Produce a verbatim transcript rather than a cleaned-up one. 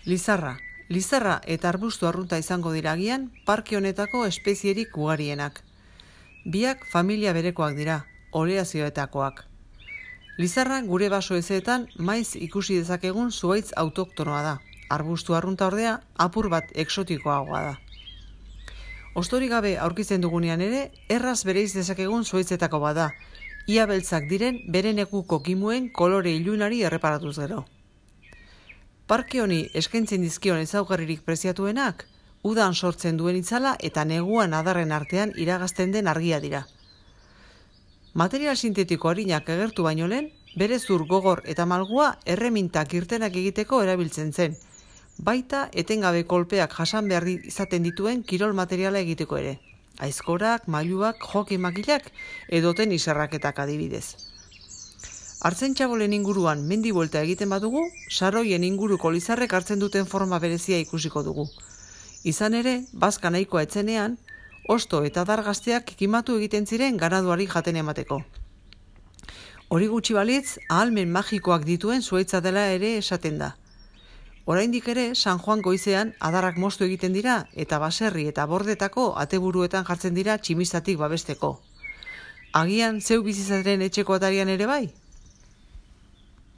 Lizarra. Lizarra eta arbustu arrunta izango dira agian parke honetako espezierik ugarienak. Biak familia berekoak dira, oleazioetakoak. Lizarra gure baso ezeetan maiz ikusi dezakegun zuhaitz autoktonoa da. Arbustu arrunta ordea apur bat eksotikoagoa da. Ostorik gabe aurkitzen dugunean ere, erraz bereiz dezakegun zuhaitzetako bada. Ia beltzak diren bere nekuko kimuen kolore ilunari erreparatuz gero. Parke honi eskaintzen dizkion ezaugarririk preziatuenak, udan sortzen duen itzala eta neguan adarren artean iragazten den argia dira. Material sintetiko arinak agertu baino lehen, bere zur gogor eta malgua erremintak irtenak egiteko erabiltzen zen, baita etengabe kolpeak jasan behar izaten dituen kirol materiala egiteko ere. Aizkorak, mailuak, joki makilak edoten izarraketak adibidez. Hartzen txabolen inguruan mendi buelta egiten badugu, saroien inguruko lizarrek hartzen duten forma berezia ikusiko dugu. Izan ere, bazka nahikoa etzenean, osto eta dargazteak kimatu egiten ziren ganaduari jaten emateko. Hori gutxi balitz, ahalmen magikoak dituen zuhaitza dela ere esaten da. Oraindik ere, San Juan goizean adarrak moztu egiten dira eta baserri eta bordetako ateburuetan jartzen dira tximistatik babesteko. Agian zeu bizizaren etxeko atarian ere bai?